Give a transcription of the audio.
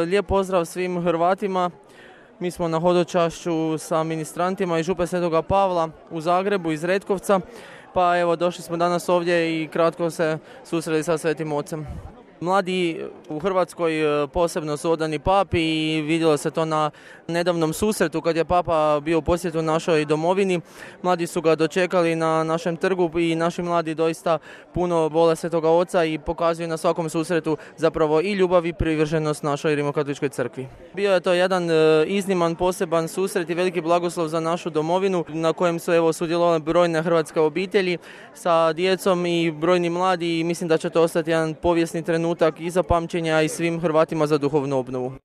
Lijep pozdrav svim Hrvatima. Mi smo na hodočašću sa ministrantima iz Župe Svetoga Pavla u Zagrebu iz Retkovca. Pa evo, došli smo danas ovdje i kratko se susreli sa Svetim Ocem. Mladi u Hrvatskoj posebno su odani papi i vidjelo se to na nedavnom susretu kad je papa bio u posjetu našoj domovini. Mladi su ga dočekali na našem trgu i naši mladi doista puno vole Svetoga Oca i pokazuju na svakom susretu zapravo i ljubav i privrženost našoj Rimokatoličkoj crkvi. Bio je to jedan izniman, poseban susret i veliki blagoslov za našu domovinu na kojem su sudjelovale brojne hrvatske obitelji sa djecom i brojni mladi i mislim da će to ostati jedan povijesni trenutak i za pamćenja i svim Hrvatima za duhovnu obnovu.